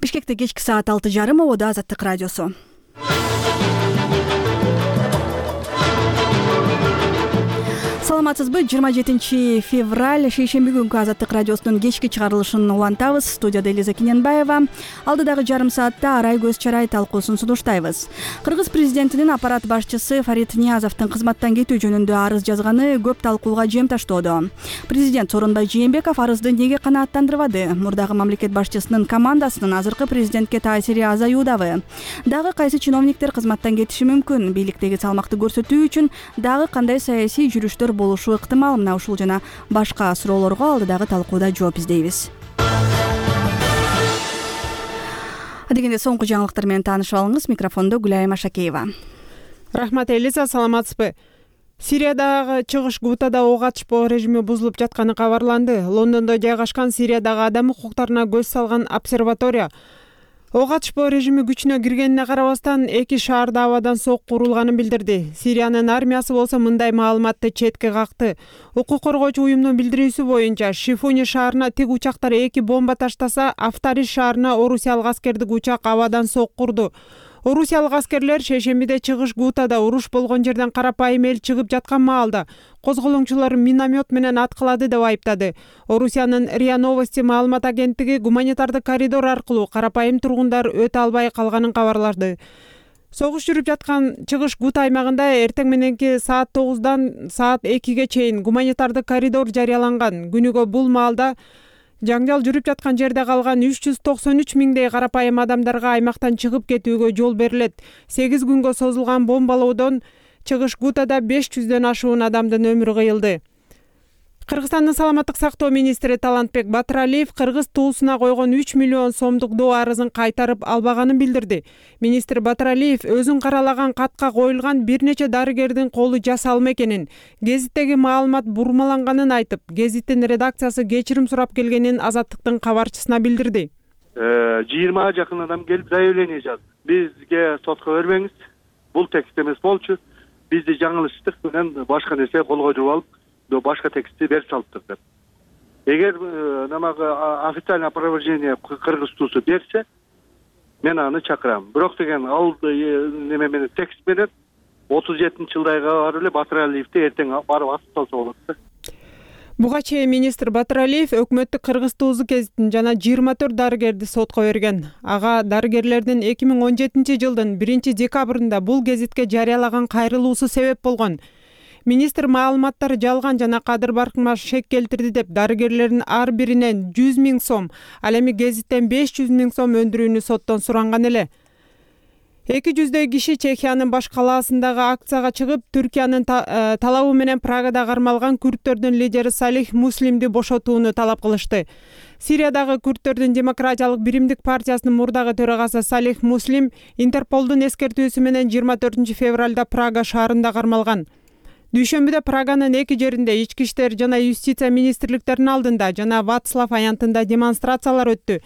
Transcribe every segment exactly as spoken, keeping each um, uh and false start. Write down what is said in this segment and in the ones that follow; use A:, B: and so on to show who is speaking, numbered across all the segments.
A: Бишкекте кечки саат алты жарым ободо Азаттык радиосу. Саламатсызбы? жыйырма жетинчи февраль шейшемби күнкү Азаттык радиосунун кечки чыгарылышын улантабыз. Студияда Элиза Кененбаева. Алдыдагы жарым саатта Арай көз чарай талкуусун сунуштайбыз. Кыргыз президентинин аппарат башчысы Фарид Ниязовдун кызматтан кетүү жөнүндө арыз жазганы көп талкууга жем таштоодо. Президент Сооронбай Жээнбеков арызды неге канааттандырбады? Мурдагы мамлекет башчысынын командасынын азыркы президентке таасири азаюудабы? Дагы кайсы чиновниктер кызматтан кетиши мүмкүн? Бийликтеги салмакты көрсөтүү үчүн дагы кандай саясий жүрүштөр болушу ыктымал? Мына ушул жана башка суроолорго алдыдагы талкууда жооп издейбиз. Дегенде соңку жаңылыктар менен таанышып алыңыз. Микрофондо Гүлайым Ашакеева.
B: Рахмат Элиза, саламатсызбы? Сириядагы чыгыш Гутада ок атышпоо режими бузулуп жатканы кабарланды. Лондондо жайгашкан Сириядагы адам укуктарына көз салган обсерватория ок атышпоо режими күчүнө киргенине карабастан эки шаарда абадан сокку урулганын билдирди. Сириянын армиясы болсо мындай маалыматты четке какты. Укук коргоочу уюмдун билдирүүсү боюнча Шифуни шаарына тик учактар эки бомба таштаса, Афтариш шаарына орусиялык аскердик учак абадан сокку урду. Орусиялык аскерлер шейшембиде чыгыш Гутада уруш болгон жерден карапайым эл чыгып жаткан маалда козголоңчулар миномет менен аткылады деп айыптады. Орусиянын РИА Новости маалымат агенттиги гуманитардык коридор аркылуу карапайым тургундар өтө албай калганын кабарлады. Согуш жүрүп жаткан чыгыш Гута аймагында эртең мененки саат тогуздан саат экиге чейин гуманитардык коридор жарыяланган. Күнүгө бул маалда жаңжал жүрүп жаткан жерде калган үч жүз токсон үч миңдей карапайым адамдарга аймактан чыгып кетүүгө жол берилет. сегиз күнгө созулган бомбалоодон чыгыш Гутада беш жүздөн ашуун адамдын өмүрү кыйылды. Кыргызстандын саламаттык сактоо министри Талантбек Батыралиев кыргыз туусуна койгон үч миллион сомдук доо арызын кайтарып албаганын билдирди. Министр Батыралиев өзүн каралаган катка коюлган бир нече дарыгердин колу жасалма экенин, гезиттеги маалымат бурмаланганын айтып, гезиттин редакциясы кечирим сурап келгенин Азаттыктын кабарчысына билдирди.
C: жыйырмага жакын адам келип заявление жазды. Бизге сотко бербеңиз, бул текст эмес болчу. Бизди жаңылыштык менен башка нерсе колго жууп алып, башка текстти берип салыптыр деп. Эгер намагы официальный опровержение кыргыз туусу берсе, мен аны чакырам. Бирок деген ал неме менен текст менен отуз жетинчи жылдайга барып эле Батыралиевди эртең барып асып салса болот да.
B: Буга чейин министр Батыралиев өкмөттүк кыргыз туузу гезитин жана жыйырма төрт дарыгерди сотко берген. Ага дарыгерлердин эки миң он жетинчи жылдын биринчи декабрында бул гезитке жарыялаган кайрылуусу себеп болгон. Министр маалыматтар жалган жана кадыр баркыма шек келтирди деп дарыгерлердин ар биринен жүз миң сом, ал эми гезиттен беш жүз миң сом өндүрүүнү соттон суранган эле. эки жүздөй киши Чехиянын баш калаасындагы акцияга чыгып, Түркиянын талабы менен Прагада кармалган күрттөрдүн лидери Салих Муслимди бошотууну талап кылышты. Сириядагы күрттөрдүн демократиялык биримдик партиясынын мурдагы төрагасы Салих Муслим Интерполдун эскертүүсү менен жыйырма төртүнчү февралда Прага шаарында кармалган. Дүйшөмбүдө Праганын эки жеринде ички иштер жана юстиция министрликтеринин алдында жана Вацлав аянтында демонстрациялар өттү.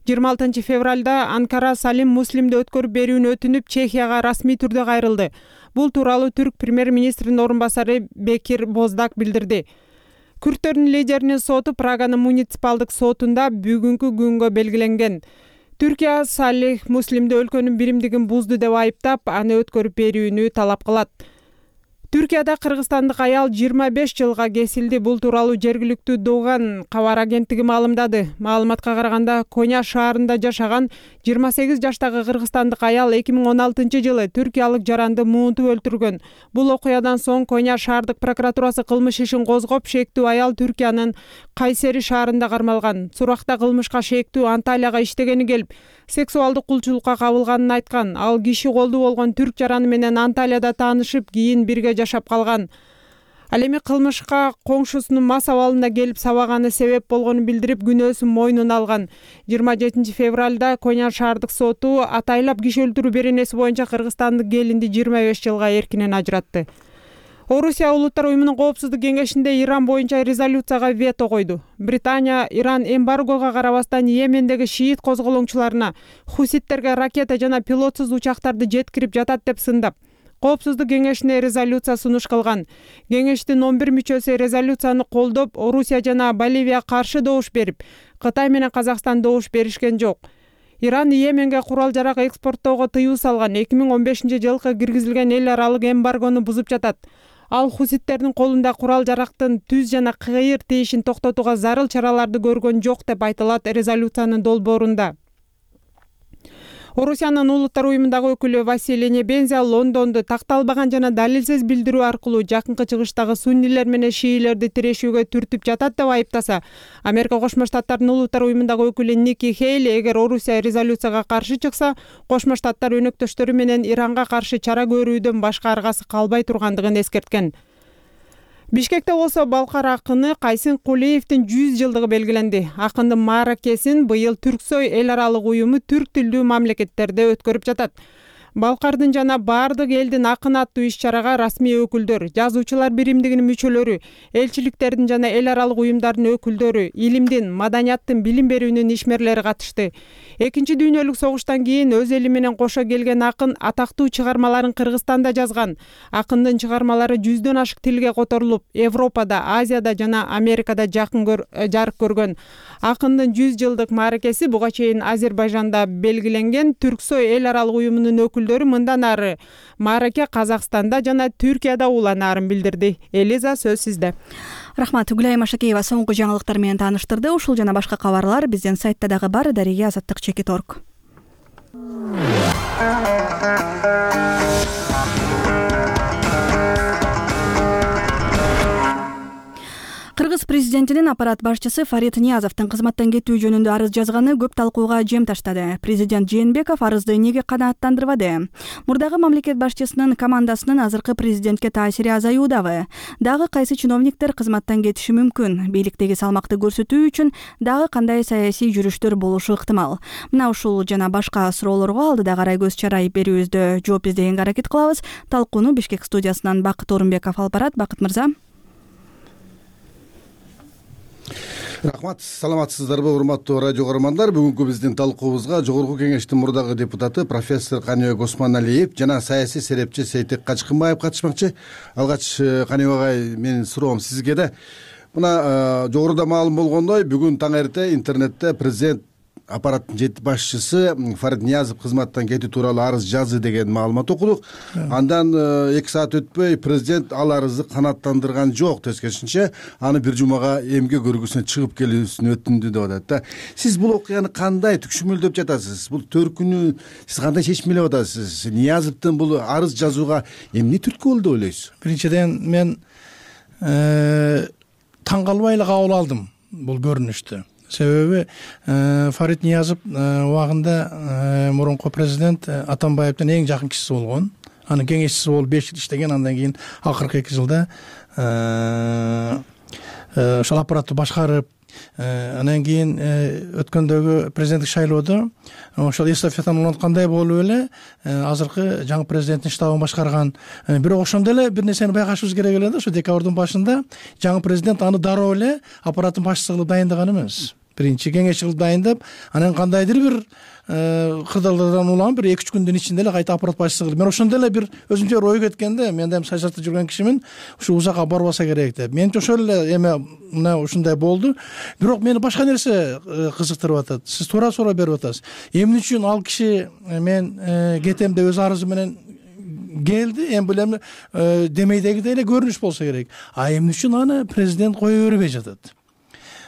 B: жыйырма алтынчы февралда Анкара Салим Муслимди өткөрүп берүүнү өтүнүп Чехияга расмий түрдө кайрылды. Бул тууралуу түрк премьер-министринин орун басары Бекир Боздак билдирди. Күрттөрдүн лидеринин соту Праганын муниципалдык сотунда бүгүнкү күнгө белгиленген. Түркия Салих Муслимди өлкөнүн биримдигин бузду деп айыптап, аны өткөрүп берүүнү талап кылат. Түркияда кыргызстандык аял жыйырма беш жылга кесилди. Бул тууралуу жергиликтүү Доган кабар агенттиги маалымдады. Маалыматка караганда, Коня шаарында жашаган жыйырма сегиз жаштагы кыргызстандык аял эки миң он алтынчы жылы түркиялык жаранды муунтуп өлтүргөн. Бул окуядан соң Коня шаардык прокуратурасы кылмыш ишин козгоп, шектүү аял Түркиянын Кайсери шаарында кармалган. Суракта кылмышка шектүү Анталияга иштегени келип, сексуалдык кулчулукка кабылганын айткан. Ал киши колдуу болгон түрк жараны менен Анталияда таанышып, кийин бирге жашап калган. Ал эми кылмышка коңшусунун мас абалында келип сабаганы себеп болгонун билдирип, күнөөсүн мойнуна алган. жыйырма жетинчи февралда Коня шаардык соту атайлап киши өлтүрүү беренеси боюнча кыргызстандык келинди жыйырма беш жылга эркинен ажыратты. Орусия Улуттар уюмунун коопсуздук кеңешинде Иран боюнча резолюцияга вето койду. Британия Иран эмбаргого карабастан Йемендеги шиит козголоңчуларына хуситтерге ракета жана пилотсуз учактарды жеткирип жатат деп сындап, Коопсуздук кеңешине резолюция сунуш кылган. Кеңештин он бир мүчөсү резолюцияны колдоп, Орусия жана Боливия каршы добуш берип, Кытай менен Казакстан добуш беришкен жок. Иран Йеменге курал жарак экспорттоого тыюу салган эки миң он бешинчи жылкы киргизилген эл аралык эмбаргону бузуп жатат. Ал хуситтердин колунда курал жарактын түз жана кыйыр тиешин токтотууга зарыл чараларды көргөн жок деп айтылат резолюциянын долбоорунда. Орусиянын улуттар уюмундагы өкүлү Василий Небензя Лондонду такталбаган жана далилсиз билдирүү аркылуу жакынкы чыгыштагы суннилер менен шиилерди тирешүүгө түртүп жатат деп айыптаса, Америка Кошмо Штаттарынын улуттар уюмундагы өкүлү Ники Хейли эгер Орусия резолюцияга каршы чыкса, Кошмо Штаттар өнөктөштөрү менен Иранга каршы чара көрүүдөн башка аргасы калбай тургандыгын эскерткен. Бишкекте болсо балкар акыны Кайсын Кулиевдин жүз жылдыгы белгиленди. Акындын мааракесин быйыл Түрксой эл аралык уюму түрк тилдүү мамлекеттерде өткөрүп жатат. Балкардын жана баардык элдин акын аттуу иш-чарага расмий өкүлдөр, жазуучулар биримдигинин мүчөлөрү, элчиликтердин жана эл аралык уюмдардын өкүлдөрү, илимдин, маданияттын, билим берүүнүн ишмерлери катышты. Экинчи дүйнөлүк согуштан кийин өз эли менен кошо келген акын атактуу чыгармаларын Кыргызстанда жазган. Акындын чыгармалары жүздөн ашык тилге которулуп, Европада, Азияда жана Америкада жакын жарык көргөн. Акындын жүз жылдык мааракеси буга чейин Азербайжанда белгиленген Түрксой эл аралык уюмунун өкүлдөрү мындан ары маараке Казакстанда жана Түркияда уланаарын билдирди. Элиза, сөз сизде.
A: Рахмат. Гүлайым Ашакеева соңку жаңылыктар менен тааныштырды. Ушул жана башка кабарлар биздин сайтта дагы бар. Дария азаттык чекит точка орг. Кыргыз президентинин аппарат башчысы Фарид Ниязовдун кызматтан кетүү жөнүндө арыз жазганы көп талкууга жем таштады. Президент Жээнбеков арызды эмнеге канааттандырбады? Мурдагы мамлекет башчысынын командасынын азыркы президентке таасири азаюудабы? Дагы кайсы чиновниктер кызматтан кетиши мүмкүн? Бийликтеги салмакты көрсөтүү үчүн дагы кандай саясий жүрүштөр болушу ыктымал? Мына ушул жана башка суроолорго алдыда Арай Көз Чарай берүүбүздө жооп издегенге аракет кылабыз. Талкууну Бишкек студиясынан Бакыт Орунбеков алып барат. Бакыт мырза.
D: Рахмат, саламатсыздарбы урматтуу радио көрөрмандар. Бүгүнкү биздин талкуубузга Жогорку Кеңештин мурдагы депутаты профессор Каныбек Осмоналиев жана саясий серепчи Сейтек Качкынбаев катышмакчы. Алгач Каныбек агай, менин суроом сизге да. Мына жогоруда маалым болгондой, бүгүн таң эрте интернетте президент аппараттын жети башчысы Фарид Ниязов кызматтан кетүү тууралуу арыз жазды деген маалымат окудук. Андан эки саат өтпөй президент ал арызды канааттандырган жок, тескерисинче аны бир жумага эмгек көргүсүнө чыгып келүүсүн өтүндү деп атат да. Сиз бул окуяны кандай түкшүмөлдөп жатасыз? Бул төркүнү сиз кандай чечим элеп атасыз? Ниязовдун бул арыз жазууга эмне түрткү болду деп ойлойсуз?
E: Биринчиден мен таң калбай эле кабыл алдым бул көрүнүштү. Себеби Фарид Ниязов убагында мурунку президент Атамбаевдин эң жакын кишиси болгон. Анын кеңешчиси болуп беш жыл иштеген, андан кийин акыркы эки жылда ошол аппаратты башкарып, анан кийин өткөндөгү президенттик шайлоодо ошол эстафетаны уланткандай болуп эле азыркы жаңы президенттин штабын башкарган. Бирок ошондо эле бир нерсени байкашыбыз керек эле да, ошо декабрдын башында жаңы президент аны дароо эле аппараттын башчысы кылып дайындаган эмес. Биринчи кеңешчи кылып дайындап, анан кандайдыр бир кырдаалдардан улам бир эки үч күндүн ичинде эле кайта аппарат башчысы кылып. Мен ошондо эле бир өзүмчө ой кеткен да, мен да саясатта жүргөн кишимин, ушу узакка барбаса керек деп. Менче ошол эле эме мына ушундай болду. Бирок мени башка нерсе кызыктырып атат. Сиз туура-туура берип атасыз. Эмне үчүн ал киши мен кетем деп өз арызы менен келди, эми бул эми демейдегидей эле көрүнүш болсо керек. А эмне үчүн аны президент кое бербей жатат?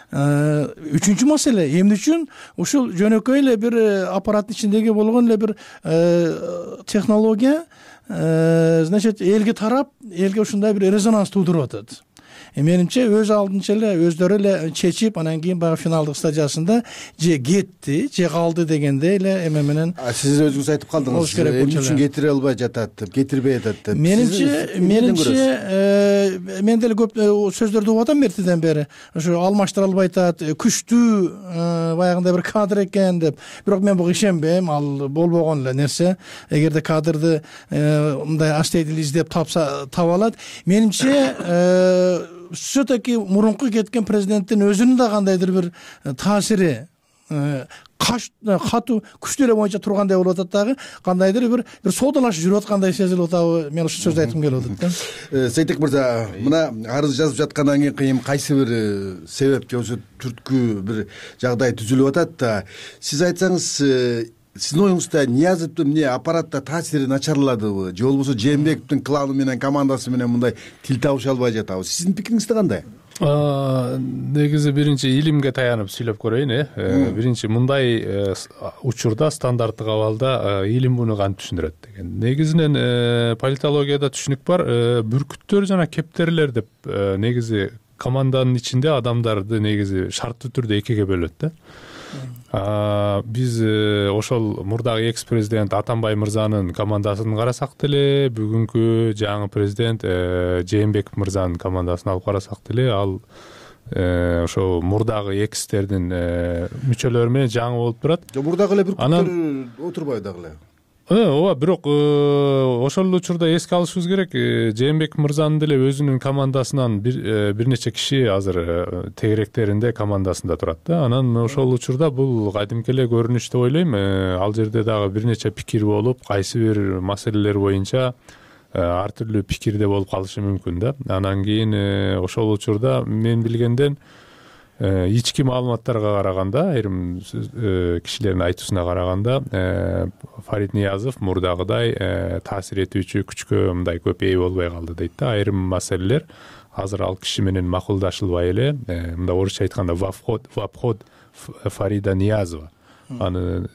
E: Үчүнчү маселе, эмне үчүн ушул жөнөкөй эле бир аппараттын ичиндеги болгон эле бир технология, значит, элге тарап, элге ушундай бир резонанс туудуруп атат. Менимче өз алдынча эле өздөрү эле чечип, анан кийин баягы финалдык стадиясында же кетти, же калды дегенде эле эме менен.
D: Сиз өзүңүз айтып калдыңыз, эмне үчүн кетире албай жатат деп, кетирбей атат деп.
E: Менимче, менимче мен деле көп сөздөрдү угуп атам эртеден бери. Ошо алмаштыра албай атат, күчтүү баягындай бир кадр экен деп. Бирок мен буга ишенбейм, ал болбогон эле нерсе. Эгерде кадрды мындай аштейдил издеп тапса таба алат. Менимче все-таки мурунку кеткен президенттин өзүнүн да кандайдыр бир таасири катуу күчтөр боюнча тургандай болуп атат, дагы кандайдыр бир бир соодалашып жүрүп аткандай сезилип атабы? Мен ушул сөздү айткым келип атат да.
D: Сейтек мырза, мына арыз жазып жаткандан кийин кыйын кайсы бир себеп же болбосо түрткү бир жагдай түзүлүп атат да, сиз айтсаңыз, сиздин оюңузда Ниязовдун эмне аппаратта таасири начарладыбы, же болбосо Жээнбековдун кланы менен командасы менен мындай тил табыша албай жатабы? Сиздин пикириңиз кандай?
F: Негизи биринчи илимге таянып сүйлөп көрөйүн. э Биринчи мындай учурда стандарттык абалда илим муну кантип түшүндүрөт деген. Негизинен политологияда түшүнүк бар. Бүркүттөр жана кептерлер деп негизи команданын ичинде адамдарды негизи шарттуу түрдө экиге бөлөт да. Биз ошол мурдагы экс президент Атамбай мырзанын командасын карасак деле, бүгүнкү жаңы президент Жээнбеков мырзанын командасын алып карасак деле, ал ошо мурдагы экстердин мүчөлөрү менен жаңы болуп турат.
D: Мурдагы эле бүркүттөр отурбайбы дагы эле?
F: Ооба, бирок ошол учурда эске алышыбыз керек, Жээнбеков мырзанын деле өзүнүн командасынан бир бир нече киши азыр тегеректеринде командасында турат да. Анан ошол учурда бул кадимки эле көрүнүш деп ойлойм. Ал жерде дагы бир нече пикир болуп, кайсы бир маселелер боюнча ар түрдүү пикирде болуп калышы мүмкүн да. Анан кийин ошол учурда мен билгенден ички маалыматтарга караганда, айрым кишилердин айтуусуна караганда, Фарид Ниязов мурдагыдай таасир этүүчү күчкө мындай көп ээ болбой калды дейт да. Айрым маселелер азыр ал киши менен макулдашылбай эле, мындай орусча айтканда в обход Фарида Ниязова, аны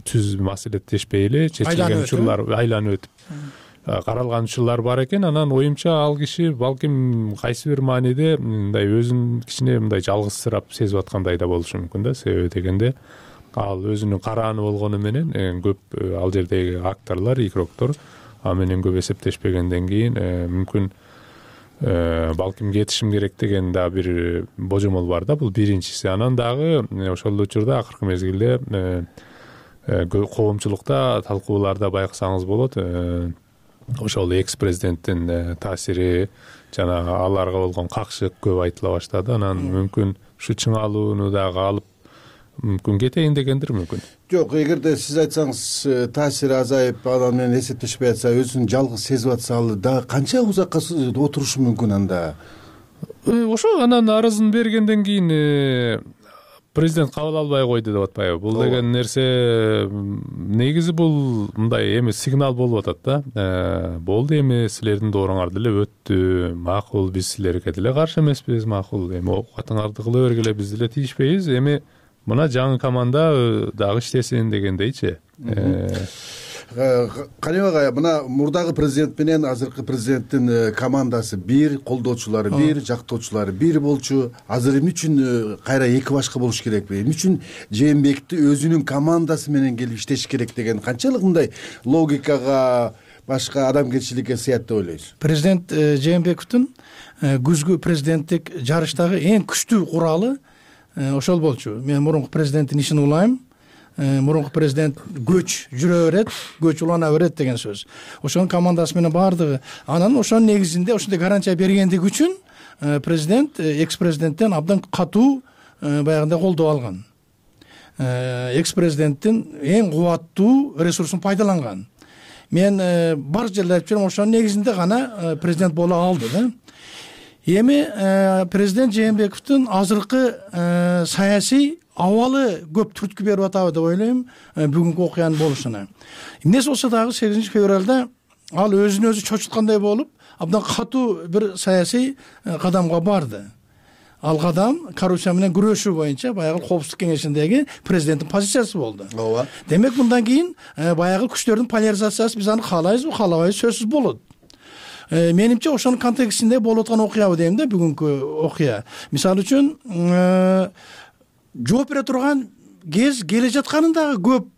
F: түз маселеттешпей эле чечилген учурлар айланып өтүп каралган учурлар бар экен. Анан оюмча ал киши балким кайсы бир мааниде мындай өзүн кичине мындай жалгызсырап сезип аткандай да болушу мүмкүн да. Себеби дегенде ал өзүнүн карааны болгону менен көп ал жердеги акторлор, игроктор а менен көп эсептешпегенден кийин мүмкүн балким кетишим керек деген да бир божомол бар да. Бул биринчиси. Анан дагы ошол учурда акыркы мезгилде коомчулукта талкууларда байкасаңыз болот, ошол экс президенттин таасири жана аларга болгон какшык көп айтыла баштады. Анан мүмкүн ушу чыңалууну дагы алып мүмкүн кетейин дегендир мүмкүн.
D: Жок, эгерде сиз айтсаңыз таасири азайып, анан менен эсептешпей атса, өзүн жалгыз сезип атса, ал дагы канча узакка отурушу мүмкүн анда?
F: Ошо анан арызын бергенден кийин президент кабыл албай койду деп атпайбы? Бул деген нерсе негизи бул мындай эми сигнал болуп атат да. Болду, эми силердин дооруңар деле өттү, макул, биз силерге деле каршы эмеспиз, макул, эми оокатыңарды кыла бергиле, биз деле тийишпейбиз, эми мына жаңы команда дагы иштесин дегендейчи.
D: Каныбек агай, мына мурдагы президент менен азыркы президенттин командасы бир, колдоочулары бир, жактоочулары бир болчу. Азыр эмне үчүн кайра эки башка болуш керекпи? Эмне үчүн Жээнбековду өзүнүн командасы менен келип иштеш керек деген канчалык мындай логикага, башка адамгерчиликке сыят деп ойлойсуз?
E: Президент Жээнбековдун күзгү президенттик жарыштагы эң күчтүү куралы ошол болчу. Мен мурунку президенттин ишин улайм. Мурунку президент көч жүрө берет, көч улана берет деген сөз. Ошонун командасы менен баардыгы. Анан ошонун негизинде ошондой гарантия бергендиги үчүн президент экс президенттен абдан катуу баягындай колдоо алган. Экс президенттин эң кубаттуу ресурсун пайдаланган. Мен бар жерде айтып жүрөм, ошонун негизинде гана президент боло алды да. Эми президент Жээнбековдун азыркы саясий абалы көп түрткү берип атабы деп ойлойм бүгүнкү окуянын болушуна. Эмнеси болсо дагы сегизинчи февралда ал өзүн өзү чочуткандай болуп, абдан катуу бир саясий кадамга барды. Ал кадам коррупция менен күрөшүү боюнча баягы Коопсуздук кеңешиндеги президенттин позициясы болду. Ооба. Демек мындан кийин баягы күчтөрдүн поляризациясы биз аны каалайбызбы, каалабайбыз, сөзсүз болот. Менимче ошонун контекстинде болуп аткан окуябы дейм да, бүгүнкү окуя. Мисалы үчүн жооп бере турган кез келе жатканын дагы көп.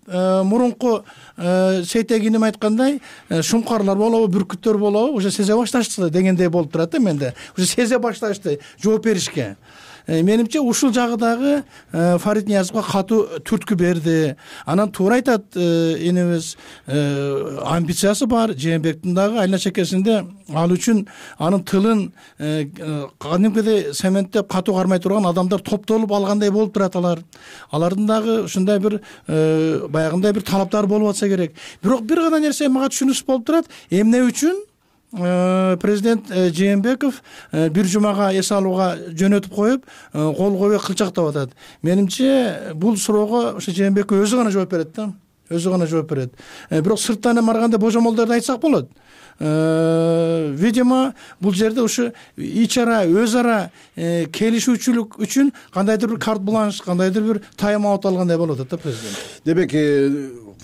E: Мурунку Сейтек иним айткандай, шумкарлар болобу, бүркүттөр болобу, уже сезе башташты дегендей болуп турат да менде. Уже сезе башташты жооп беришке. менимче ушул жагы дагы Фарид Ниязовго катуу түрткү берди. Анан туура айтат энебиз, амбициясы бар. Жээнбектин дагы айна чекесинде ал үчүн анын тылын кадимкидей цементтеп катуу кармай турган адамдар топтолуп алгандай болуп турат. Алар алардын дагы ушундай бир баягындай бир талаптары болуп атса керек. Бирок бир гана нерсе мага түшүнүксүз болуп турат. Эмне үчүн президент Жээнбеков бир жумага эс алууга жөнөтүп коюп, кол койбой кылчактап атат? Менимче бул суроого ошо Жээнбеков өзү гана жооп берет да. Өзү гана жооп берет. Бирок сырттан эми барганда божомолдорду айтсак болот. Видимо, бул жерде ушу ич ара, өз ара келишүүчүлүк үчүн кандайдыр бир карт бланш, кандайдыр бир тайм аут алгандай болуп атат да президент.
D: Демек,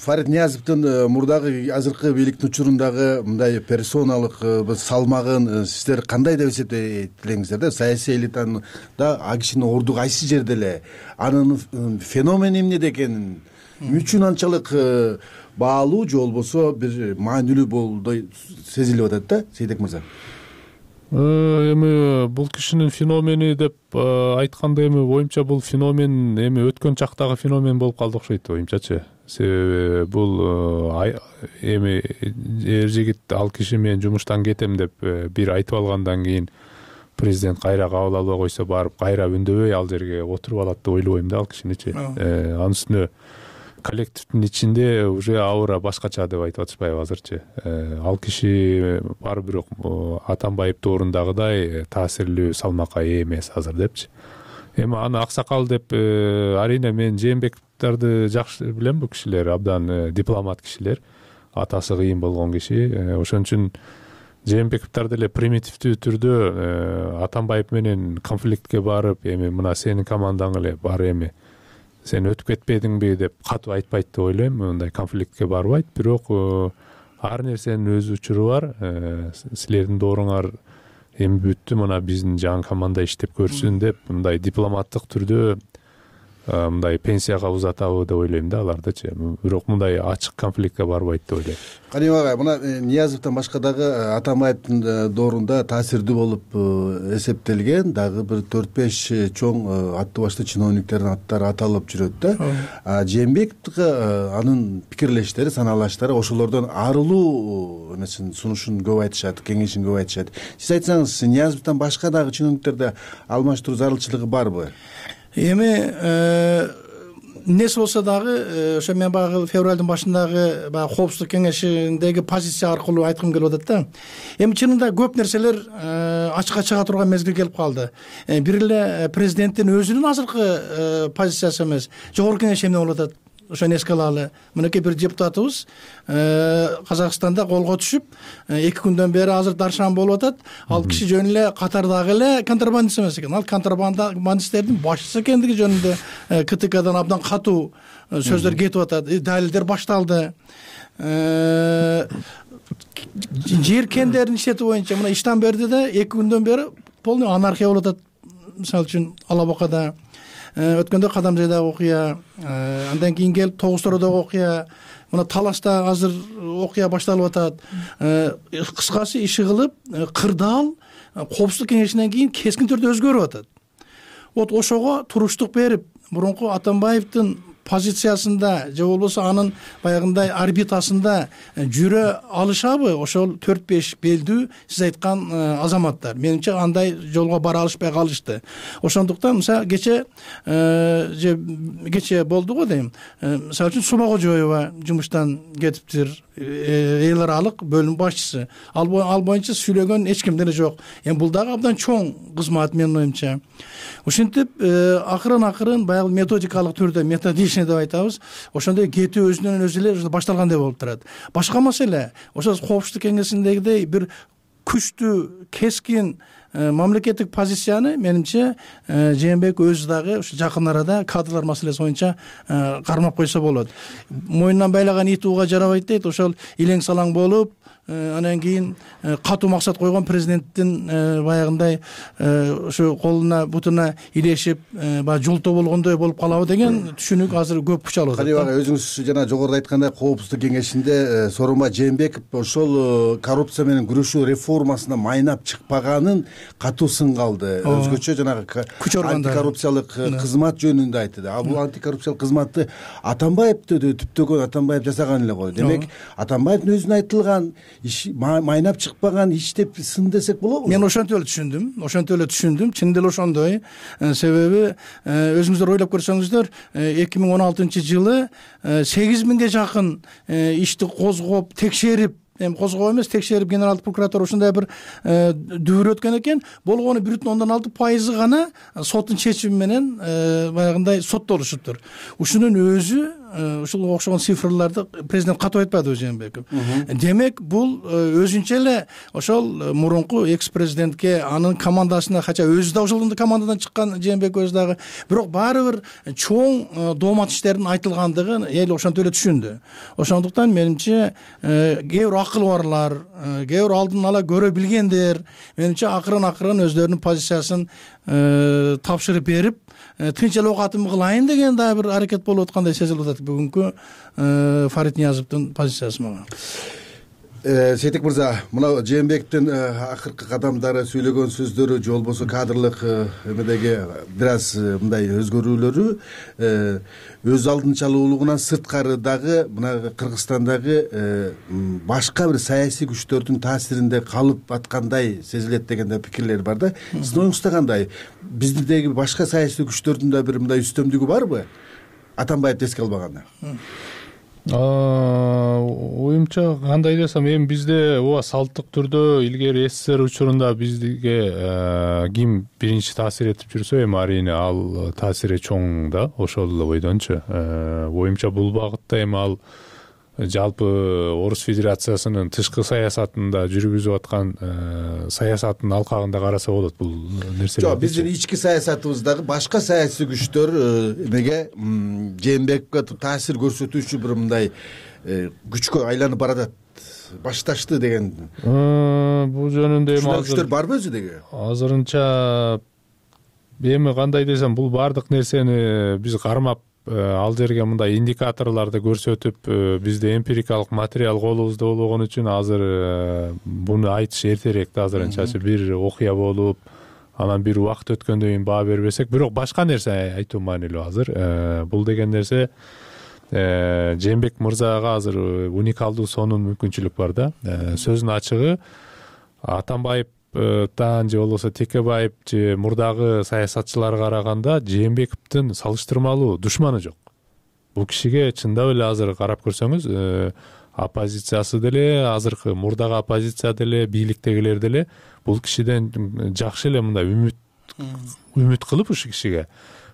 D: Фарид Ниязовдун мурдагы азыркы бийликтин учурундагы мындай персоналык салмагын сиздер кандай деп эсептейт элеңиздер да? Саясий элитанын да а кишинин орду кайсы жерде эле, анын феномени эмнеде экенин үчүн анчалык баалуу же болбосо бир маанилүү болудай сезилип атат да, Сейдек мырза?
F: Эми бул кишинин феномени деп айтканда, эми оюмча бул феномен эми өткөн чактагы феномен болуп калды окшойт оюмчачы. Себеби бул эми эр жигит ал киши мен жумуштан кетем деп бир айтып алгандан кийин президент кайра кабыл албай койсо, барып кайра үндөбөй ал жерге отуруп алат деп ойлобойм да ал кишиничи. Анын үстүнө коллективдин ичинде уже аура башкача деп айтып атышпайбы азырчы. Ал киши баары бирок Атамбаев доорундагыдай таасирлүү салмакка ээ эмес азыр депчи. Эми аны аксакал деп арийне мен Жээнбековдорду жакшы билем. Бул кишилер абдан дипломат кишилер, атасы кыйын болгон киши. Ошон үчүн Жээнбековдор деле примитивдүү түрдө Атамбаев менен конфликтке барып, эми мына сенин командаң эле бар, эми сен өтүп кетпедиңби деп катуу айтпайт деп ойлойм. Мындай конфликтке барбайт, бирок ар нерсенин өз учуру бар. Силердин дооруңар эми бүттү, мына биздин жаңы команда иштеп көрсүн деп мындай дипломаттык түрдө мындай пенсияга узатабы деп ойлойм да алардычы. Бирок мындай ачык конфликтке барбайт деп ойлойм.
D: Каним агай, мына Ниязовдон башка дагы Атамбаевдин доорунда таасирдүү болуп эсептелген дагы бир төрт беш чоң аттуу башты чиновниктердин аттары аталып жүрөт да. Жээнбековго анын пикирлештери, санаалаштары ошолордон арылуу эмесин сунушун көп айтышат, кеңешин көп айтышат. Сиз айтсаңыз, Ниязовдон башка дагы чиновниктерде алмаштыруу зарылчылыгы барбы?
E: Эми эмнеси болсо дагы ошо мен баягы февралдын башындагы баягы коопсуздук кеңешиндеги позиция аркылуу айткым келип атат да. Эми чынында көп нерселер ачыкка чыга турган мезгил келип калды. Бир эле президенттин өзүнүн азыркы позициясы эмес, жогорку кеңеш эмне болуп атат? Ошону эске алалы. Мынакей бир депутатыбыз Казакстанда колго түшүп, эки күндөн бери азыр даршан болуп атат. Ал киши жөн эле катардагы эле контрабандист эмес экен. Ал контрабандисттердин башчысы экендиги жөнүндө КТКдан абдан катуу сөздөр кетип атат. Далилдер башталды. Жер кендерин иштетүү боюнча мына иштан берди да, эки күндөн бери полный анархия болуп атат. Мисалы үчүн Ала Бакада өткөндө Кадамжайдагы окуя, андан кийин келип Тогуз Тородогу окуя, мына Талашта азыр окуя башталып атат. Кыскасы иши кылып, кырдаал коопсуздук кеңешинен кийин кескин түрдө өзгөрүп атат. Вот ошого туруштук берип, мурунку Атамбаевдин позициясында же болбосо анын баягындай орбитасында жүрө алышабы ошол төрт беш белдүү сиз айткан азаматтар? Менимче андай жолго бара алышпай калышты. Ошондуктан мисалы кече же кече болду го дейм. Мисалы үчүн Сума Кожоева жумуштан кетиптир, эл аралык бөлүм башчысы. Ал боюнча сүйлөгөн эч ким деле жок. Эми бул дагы абдан чоң кызмат менин оюмча. Ушинтип акырын акырын баягы методикалык түрдө методичный деп айтабыз. Ошондой кетүү өзүнөн өзү эле башталгандай болуп турат. Башка маселе, ошо коопсуздук кеңесиндегидей бир күчтүү, кескин мамлекеттик позицияны менимче Жээнбек өзү дагы ушу жакын арада кадрлар маселеси боюнча кармап койсо болот. Мойнунан байлаган ит ууга жарабайт дейт. Ошол илең салаң болуп, анан кийин катуу максат койгон президенттин баягындай ушу колуна бутуна илешип баягы жолтоо болгондой болуп калабы деген түшүнүк азыр көп күч алып атат.
D: Каныбек ага, өзүңүз жана жогоруда айткандай Коопсуздук кеңешинде Сооронбай Жээнбеков ошол коррупция менен күрөшүү реформасына майнап чыкпаганын катуу сынга алды. Өзгөчө жанагы
E: күч органдары
D: антикоррупциялык кызмат жөнүндө айтты. А бул антикоррупциялык кызматты Атамбаевди түптөгөн Атамбаев жасаган эле го. Демек Атамбаевдин өзүнө айтылган иш майнап чыкпаган иш деп сын десек болобу?
E: Мен ошентип эле түшүндүм. Ошентип эле түшүндүм. Чын деле ошондой. Себеби өзүңүздөр ойлоп көрсөңүздөр эки миң он алтынчы жылы сегиз миңге жакын ишти козгоп, текшерип, эми козгоо эмес, текшерип генералдык прокуратура ушундай бир дүбүр өткөн экен. Болгону бир бүтүн ондон алты пайызы гана соттун чечими менен баягындай соттолушуптур. Ушунун өзү ушуга окшогон цифрларды президент катуу айтпадыбы Жээнбеков? Демек бул өзүнчө эле ошол мурунку экс президентке, анын командасына, кача өзү да ошол командадан чыккан Жээнбеков өзү дагы, бирок баары бир чоң доомат иштердин айтылгандыгын эл ошентип эле түшүндү. Ошондуктан менимче кээ бир акыл барлар, кээ бир алдын ала көрө билгендер менимче акырын акырын өздөрүнүн позициясын тапшырып берип, тынч эле оокатымды кылайын деген дагы бир аракет болуп аткандай сезилип атат бүгүнкү Фарид Ниязовдун позициясы мага.
D: Сейтек мырза, мына Жээнбековдун акыркы кадамдары, сүйлөгөн сөздөрү же болбосо кадрлык эмедеги бир аз мындай өзгөрүүлөрү өз алдынчалуулугунан сырткары дагы мына Кыргызстандагы башка бир саясий күчтөрдүн таасиринде калып аткандай сезилет деген да пикирлер бар да. Сиздин оюңузда кандай? Биздеги башка саясий күчтөрдүн да бир мындай үстөмдүгү барбы? Атамбаевди эске албаганда.
F: Оюмча кандай десем, эми бизде ооба салттык түрдө илгери СССР учурунда бизге ким биринчи таасир этип жүрсө, эми арийне ал таасири чоң да, ошол эле бойдончу. Оюмча бул багытта эми ал жалпы Орус Федерациясынын тышкы саясатында жүргүзүп аткан саясаттын алкагында караса болот бул нерселер.
D: Жок, биздин ички саясатыбыздагы башка саясий күчтөр эмеге Жээнбековго таасир көрсөтүүчү бир мындай күчкө айланып баратат, башташты деген.
F: Бул жөнүндө эми
D: азыр күчтөр барбы өзү деге?
F: Азырынча эми кандай десем, бул бардык нерсени биз кармап ал жерге мындай индикаторларды көрсөтүп, бизде эмпирикалык материал колубузда болгон үчүн азыр буну айтыш эртерээк да. Азырынча бир окуя болуп, анан бир убакыт өткөндөн кийин баа бербесек, бирок башка нерсе айтуу маанилүү азыр. Бул деген нерсе Жээнбеков мырзага азыр уникалдуу сонун мүмкүнчүлүк бар да. Сөздүн ачыгы, Атамбаевтан же болбосо Текебаев же мурдагы саясатчыларга караганда Жээнбековдун салыштырмалуу душманы жок. Бул кишиге чындап эле азыр карап көрсөңүз, оппозициясы деле, азыркы мурдагы оппозиция деле, бийликтегилер деле бул кишиден жакшы эле мындай үмүт үмүт кылып ушу кишиге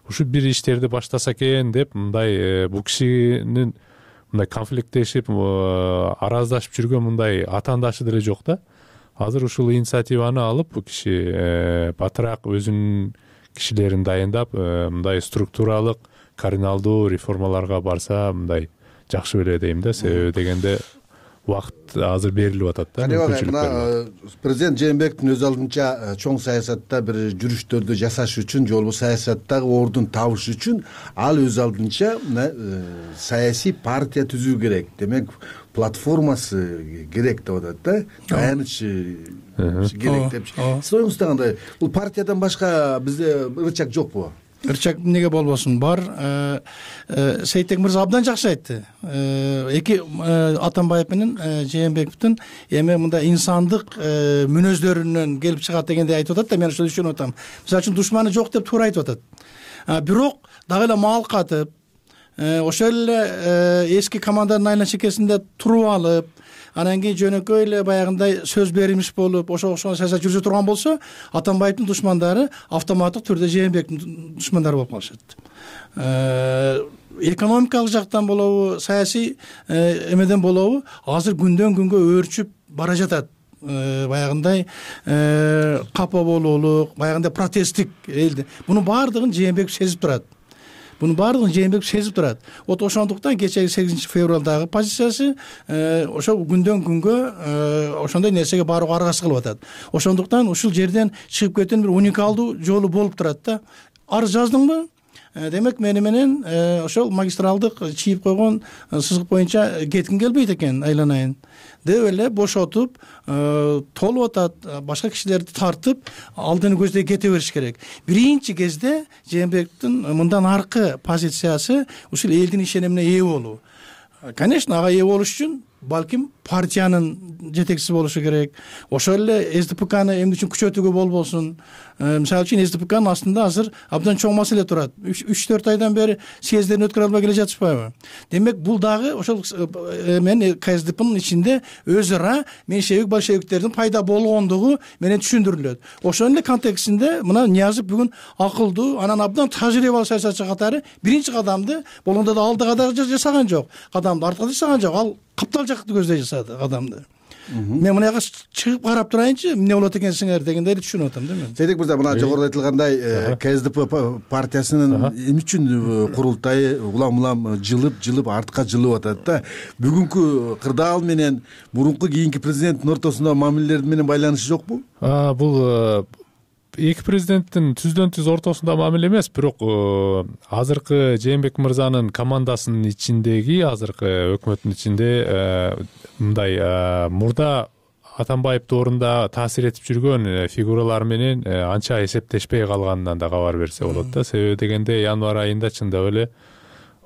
F: ушу бир иштерди баштаса экен деп, мындай бул кишинин мындай конфликттешип, араздашып жүргөн мындай атаандашы деле жок да. Азыр ушул инициативаны алып, бул киши батыраак өзүнүн кишилерин дайындап, мындай структуралык, кардиналдуу реформаларга барса, мындай жакшы беле дейм да. Себеби дегенде убакыт азыр берилип атат да.
D: Мына президент Жээнбековдун өз алдынча чоң саясатта бир жүрүштөрдү жасаш үчүн, же болбосо саясаттагы ордун табыш үчүн ал өз алдынча мына саясий партия түзүү керек. Демек, платформасы керек деп атат да. Таяныч керек деп. Сиз оюңузда кандай? Бул партиядан башка бизде ырчак жокпу?
E: Ырчак эмнеге болбосун, бар. Сейтек мырза абдан жакшы айтты. Эки Атамбаев менен Жээнбековдун эми мындай инсандык мүнөздөрүнөн келип чыгат дегенди айтып атат да, мен ошону түшүнүп атам. Мисалы үчүн душманы жок деп туура айтып атат. Бирок дагы эле маал катып, ошол эле эски команданын айла чекесинде туруп алып, анан кийин жөнөкөй эле баягындай сөз беримиш болуп, ошого окшогон саясат жүргүзө турган болсо, Атамбаевдин душмандары автоматтык түрдө Жээнбековдун душмандары болуп калышат. Экономикалык жактан болобу, саясий эмеден болобу, азыр күндөн күнгө өөрчүп бара жатат. Баягындай капа болуулук, баягындай протесттик элди. Мунун баардыгын Жээнбеков сезип турат. Мунун баардыгын Жээнбеков сезип турат. Вот ошондуктан кечеги сегизинчи февралдагы позициясы ошол күндөн күнгө ошондой нерсеге барууга аргасыз кылып атат. Ошондуктан ушул жерден чыгып кетүүнүн бир уникалдуу жолу болуп турат да. Арыз жаздыңбы? Демек мени менен ошол магистралдык чийип койгон сызык боюнча кетким келбейт экен, айланайын деп эле бошотуп толуп атат, башка кишилерди тартып алдыны көздөй кете бериш керек. Биринчи кезде Жээнбековдун мындан аркы позициясы ушул элдин ишенимине ээ болуу. Конечно, ага ээ болуш үчүн балким партиянын жетекчиси болушу керек. Ошол эле СДПКны эмне үчүн күчөтүүгө болбосун. Мисалы үчүн СДПКнын астында азыр абдан чоң маселе турат. үч төрт айдан бери съездерин өткөрө албай келе жатышпайбы? Демек бул дагы ошол мен КСДПнын ичинде өз ара меньшевик большевиктердин пайда болгондугу менен түшүндүрүлөт. Ошонун эле контекстинде мына Ниязов бүгүн акылдуу, анан абдан тажрыйбалуу саясатчы катары биринчи кадамды болгондо да алдыга да жасаган жок. Кадамды артка жасаган жок. Ал каптал жакты көздөй жасады кадамды. Мен мына жака чыгып карап турайынчы, эмне болот экенсиңер дегендейди түшүнүп атам да мен.
D: Сейдик мырза, мына жогоруда айтылгандай КСДП партиясынын эмне үчүн курултайы улам-улам жылып, жылып артка жылып атат да. Бүгүнкү кырдаал менен мурунку кийинки президенттин ортосунда мамилелер менен байланышы жокпу?
F: Бул эки президенттин түздөн түз ортосунда мамиле эмес, бирок азыркы Жээнбеков мырзанын командасынын ичиндеги, азыркы өкмөттүн ичинде мындай мурда Атамбаев доорунда таасир этип жүргөн фигуралар менен анча эсептешпей калганынан да кабар берсе болот да. Себеби дегенде январь айында чындап эле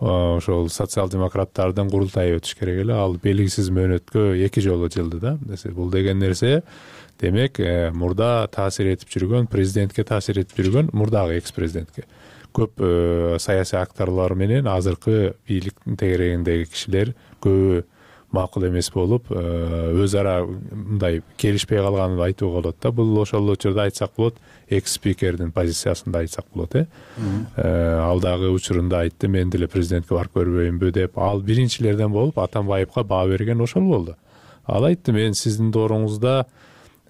F: ошол социал-демократтардын курултайы өтүш керек эле. Ал белгисиз мөөнөткө эки жолу жылды да. Бул деген нерсе демек мурда таасир этип жүргөн, президентке таасир этип жүргөн, мурдагы экс-президентке көп саясий акторлор менен азыркы бийликтин тегерегиндеги кишилер көбү макул эмес болуп, өз ара мындай келишпей калганын айтууга болот да. Бул ошол учурда айтсак болот, экс-спикердин позициясында айтсак болот, э. Ал дагы учурунда айтты, мен деле президентке барып көрбөйүнбү деп. Ал биринчилерден болуп Атамбаевка баа берген ошол болду. Ал айтты, мен сиздин дооруңузда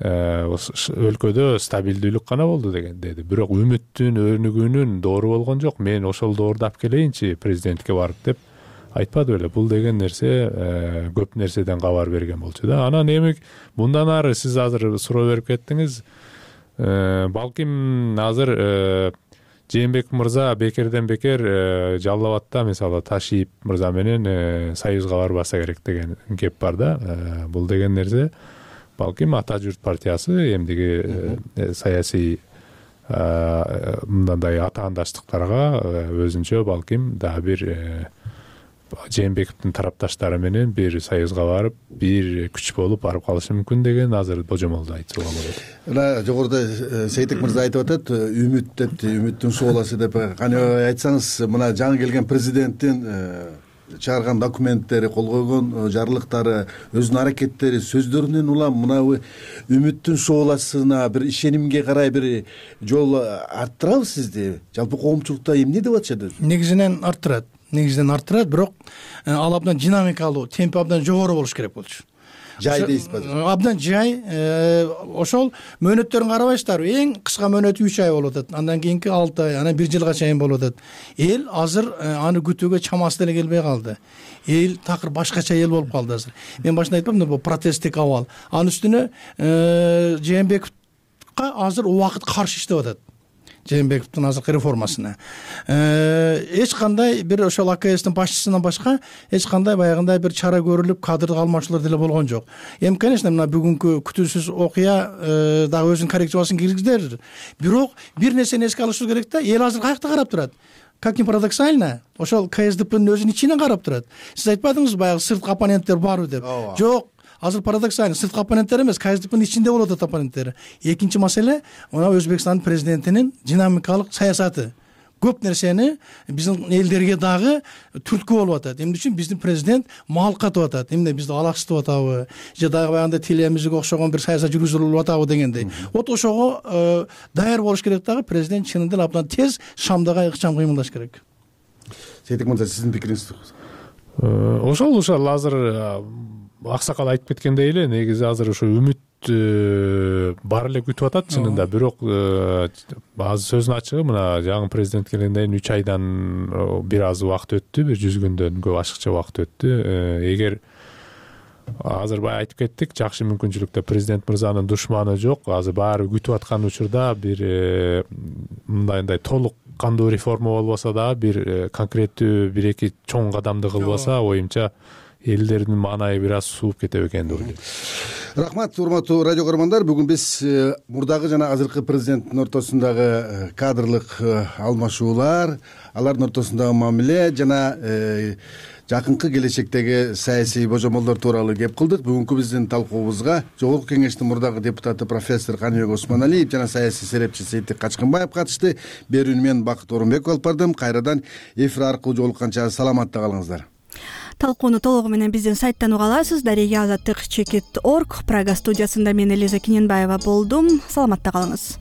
F: өлкөдө стабилдүүлүк гана болду деген деди. Бирок үмүттүн, өнүгүүнүн доору болгон жок. Мен ошол доорду алып келейинчи президентке барып деп айтпады беле. Бул деген нерсе көп нерседен кабар берген болчу да. Анан эми мындан ары сиз азыр суроо берип кеттиңиз. Балким азыр Жээнбеков мырза бекерден бекер Жалал абадта мисалы Ташиев мырза менен союзга барбаса керек деген кеп бар да. Бул деген нерсе балким Ата журт партиясы эмдиги саясий мындай атаандаштыктарга өзүнчө балким дагы бир Жээнбековдун тарапташтары менен бир союзга барып, бир күч болуп барып калышы мүмкүн деген азыр божомолду айтууга болот.
D: Мына жогоруда Сейтек мырза айтып атат, үмүт деп, үмүттүн сууласы деп. Кане айтсаңыз, мына жаңы келген президенттин чыгарган документтери, кол койгон жарлыктары, өзүнүн аракеттери, сөздөрүнөн улам мына үмүттүн сууласына, бир ишенимге карай бир жол арттырабы сизди? Жалпы коомчулукта эмне деп атышат?
E: Негизинен арттырат. Негизинен арттырат, бирок ал абдан динамикалуу, темпи абдан жогору болуш керек болчу.
D: Жай дейсизби?
E: Абдан жай. Ошол мөөнөттөрүн карабайсыздарбы? Эң кыска мөөнөтү үч ай болуп атат. Андан кийинки алты ай, анан бир жылга чейин болуп атат. Эл азыр аны күтүүгө чамасы деле келбей калды. Эл такыр башкача эл болуп калды азыр. Мен башында айтпамдымы, бул протесттик абал. Анын үстүнө Жээнбековга азыр убакыт каршы иштеп атат. Жээнбековдун азыркы реформасына. Эч кандай бир ошол АКСтин башчысынан башка эч кандай баягындай бир чара көрүлүп, кадрды алмашуулар деле болгон жок. Эми, конечно, мына бүгүнкү күтүүсүз окуя дагы өзүнүн коррекциясын киргиздер. Бирок бир нерсени эске алышыбыз керек да, эл азыр каякта карап турат. Как ни парадоксально, ошол КСДПнын өзүнүн ичинен карап турат. Сиз айтпадыңызбы, баягы сырткы оппоненттер барбы деп? Жок. Азыр парадоксально, сырткы оппоненттер эмес, КСДПнын ичинде болуп атат оппоненттери. Экинчи маселе, мына Өзбекстандын президентинин динамикалык саясаты. Көп нерсени биздин элдерге дагы түрткү болуп атат. Эмне үчүн биздин президент мал катып атат? Эмне бизди алаксытып атабы? Же дагы баягындай телемизге окшогон бир саясат жүргүзүлүп атабы дегендей. Вот ошого даяр болуш керек дагы, президент чынында эле абдан тез шамдага ыкчам кыймылдаш керек.
D: Сейтек мырза, сиздин пикириңиз?
F: Ошол ошол азыр аксакал айтып кеткендей эле негизи азыр ошо үмүт бар эле күтүп атат чынында, бирок азыр сөздүн ачыгы мына жаңы президент келгенден кийин үч айдан бир аз убакыт өттү, бир жүз күндөн көп ашыкча убакыт өттү. Эгер азыр баягы айтып кеттик, жакшы мүмкүнчүлүктө президент мырзанын душманы жок, азыр баары күтүп аткан учурда бир мындайындай толук кандуу реформа болбосо дагы бир конкреттүү бир эки чоң кадамды кылбаса, оюмча элдердин маанайы бир аз сууп кетет экен деп ойлойм.
D: Рахмат, урматтуу радио көрөрмандар. Бүгүн биз мурдагы жана азыркы президенттин ортосундагы кадрлык алмашуулар, алардын ортосундагы мамиле жана жакынкы келечектеги саясий божомолдор тууралуу кеп кылдык. Бүгүнкү биздин талкуубузга Жогорку Кеңештин мурдагы депутаты профессор Каныбек Осмоналиев жана саясий серепчи Сейтек Качкынбаев катышты. Берүүнү мен Бакыт Орунбеков алып бардым. Кайрадан эфир аркылуу жолукканча саламатта калыңыздар.
A: Талкууну толугу менен биздин сайттан уга аласыз. Дарега азаттык чекит точка орг. Прага студиясында мен Элиза Киненбаева болдум. Саламатта калыңыз.